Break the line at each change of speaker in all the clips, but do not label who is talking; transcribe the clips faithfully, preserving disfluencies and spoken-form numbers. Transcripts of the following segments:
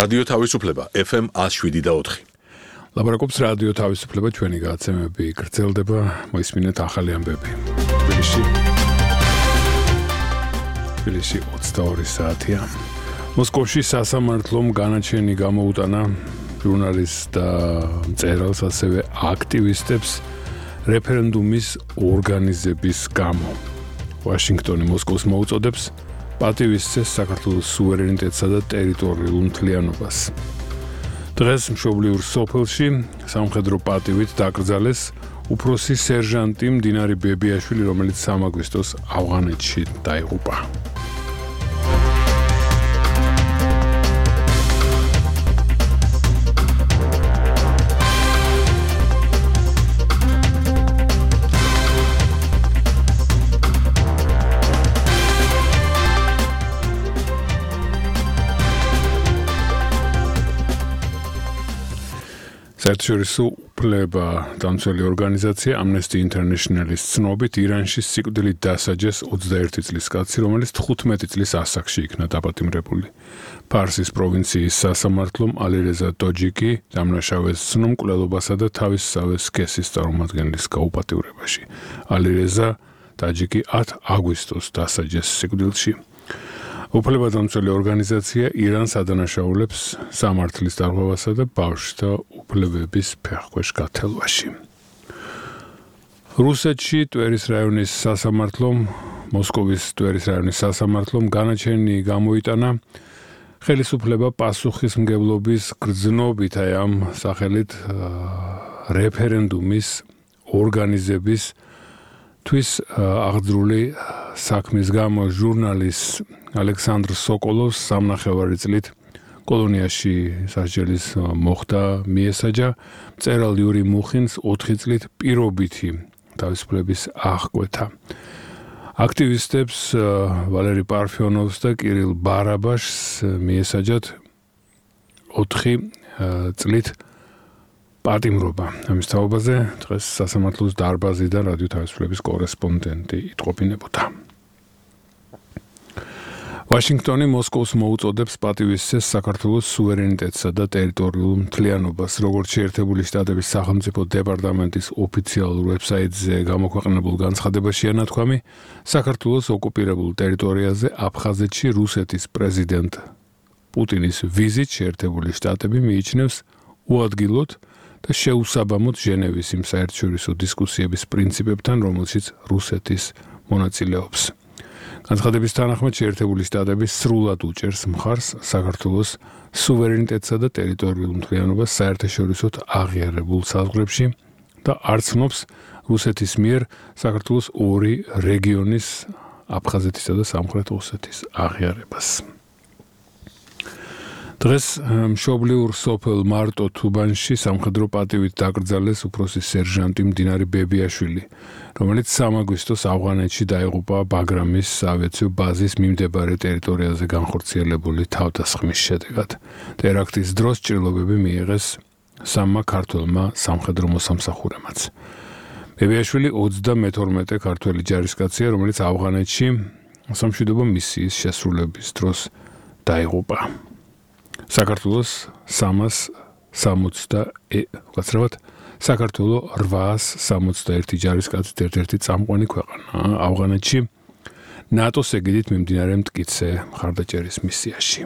რადიო თავისუფლება F M one oh seven point four.
ლაპარაკობს რადიო თავისუფლება ჩვენი გადაცემები გრძელდება მოისმინეთ ახალი ამბები. თბილისში თბილისში ოცდაორი საათია. მოსკოვში სასამართლომ განაჩენი გამოუტანა ჟურნალისტ და მწერალს ასევე აქტივისტებს რეფერენდუმის ორგანიზების გამო. ვაშინგტონი მოსკოვს მოუწოდებს პატივისცეს საქართველოს სუვერენიტეტსა და ტერიტორიულ მთლიანობას. დღეს მშობლიურ სოფელში სამხედრო პატივით დაკრძალეს უფროსი სერჟანტი მდინარე ბებიაშვილი, რომელიც სამ აგვისტოს ავღანეთში დაიღუპა. საერთაშორისო უფლება დამცველი ორგანიზაცია Amnesty International-ის ცნობით ირანში სიკვდილით დასაჯეს ოცდაერთი წლის კაცი, რომელიც თხუთმეტი წლის ასაკში იქნა დაპატიმრებული. ფარსის პროვინციის სასამართლომ ალირეზა ტოჯიკი დამნაშავეს ცნო მკვლელობასა და თავისსავე სქესის წარმომადგენლის გაუპატივრებაში. ალირეზა ტაჯიკი ათ აგვისტოს დასაჯეს სიკვდილში. უფლებადამცველი ორგანიზაცია ირანს ადანაშაულებს სამართლის დარღვევასა და ბავშვთა უფლებების ფეხქვეშ გათელვაში. რუსეთში ტვერის რაიონის სასამართლომ, მოსკოვის ტვერის რაიონის სასამართლომ განაჩენი გამოიტანა ხელისუფლება პასუხისმგებლობის გრძნობით აი ამ სახელით რეფერენდუმის ორგანიზების თვის აღძრული საქმის გამო ჟურნალისტ ალექსანდრ სოკოლოვს სამნახევარი წლით კოლონიაში სასჯელის მოხდა მიესაჯა, მწერალ იური მუხინს ოთხი წლით პირობითი თავისუფლების აღკვეთა. აქტივისტებს ვალერი პარფიონოვს და კირილ ბარაბაშს მიესაჯათ ოთხი წლით პატიმრობა. ამის თაობაზე დღეს სასამართლოს დარბაზიდან რადიო თავისუფლების კორესპონდენტი იტყობინებოდა. ვაშინგტონი მოსკოვს მოუწოდებს პატივისცეს საქართველოს სუვერენიტეტსა და ტერიტორიულ მთლიანობას. როგორც შეერთებული შტატების სახელმწიფო დეპარტამენტის ოფიციალურ ვებსაიტზე გამოქვეყნებულ განცხადებაშია ნათქვამი, საქართველოს ოკუპირებულ ტერიტორიაზე აფხაზეთში რუსეთის პრეზიდენტ პუტინის ვიზით შეერთებული შტატები მიიჩნევს უადგილოდ და შეუსაბამოდ ჟენევის იმ საერთაშორისო დისკუსიების პრინციპებთან, რომელშიც რუსეთის მონაწილეობს. განცხადების თანახმად შეერთებული შტატები სრულად უჭერს მხარს საქართველოს სუვერენიტეტსა და ტერიტორიულ მთლიანობას საერთაშორისოდ აღიარებულ საზღვრებში და არ ცნობს რუსეთის მიერ საქართველოს ორი რეგიონის აფხაზეთისა და სამხრეთ ოსეთის აღიარებას. დღეს მშობლიურ სოფელ მარტო თუბანში სამხედრო პატივით დაკრძალეს უფროსი სერჟანტი მდინარე ბებიაშვილი, რომელიც სამ აგვისტოს ავღანეთში დაიღუპა ბაგრამის საავიაციო ბაზის მიმდებარე ტერიტორიაზე განხორციელებული თავდასხმის შედეგად. ტერაქტის დროს ჭრილობები მიიღეს სამმა ქართველმა სამხედრო მოსამსახურემაც. ბებიაშვილი ოცდამეთორმეტე ქართველი ჯარისკაცია, რომელიც ავღანეთში სამშვიდობო მისიის შესრულების დროს დაიღუპა. საქართველოს სამას სამოცდაერთი საქართველოს რვაას სამოცდაერთი ჯარისკაცით ერთ-ერთი წამყვანი ქვეყანა ავღანეთში ნატოს ეგიდით მიმდინარე მტკიცე მხარდაჭერის მისიაში.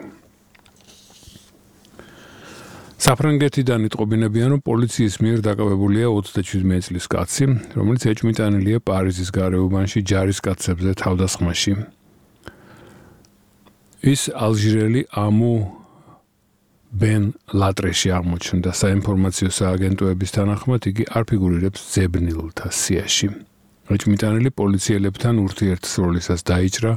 საფრანგეთიდან იტყობინებიან, რომ პოლიციის მიერ დაკავებულია ოცდაშვიდმეტი წლის კაცი, რომელიც ეჭვმიტანილია პარიზის გარეუბანში ჯარისკაცებზე თავდასხმაში. ის ალჟირელი ამუ ბენ ლატრეში აღმოჩნდა. საინფორმაციო სააგენტოების თანახმად იგი არ ფიგურირებს ძებნილთა სიაში. ეჭვმიტანილი პოლიციელებთან ურთიერთსროლისას დაიჭრა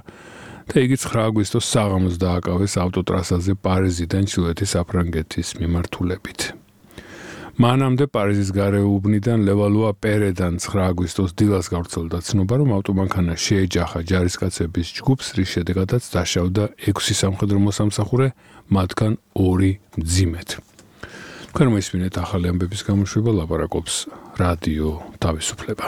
და იგი ცხრა აგვისტოს საღამოს დააკავეს ავტოტრასაზე პარიზიდან ჩრდილოეთის საფრანგეთის მიმართულებით. მანამდე პარიზის გარეუბნიდან ლევალუა პერედან ცხრა აგვისტოს დილას გავრცელდა ცნობა, რომ ავტომანქანა შეეჯახა ჯარისკაცების ჯგუფს, რის შედეგადაც დაშავდა ექვსი სამხედრო მოსამსახურე, მათგან ორი მძიმედ. თქვენ მოისმინეთ ახალი ამბების გამოშვება, ლაპარაკობს რადიო თავისუფლება.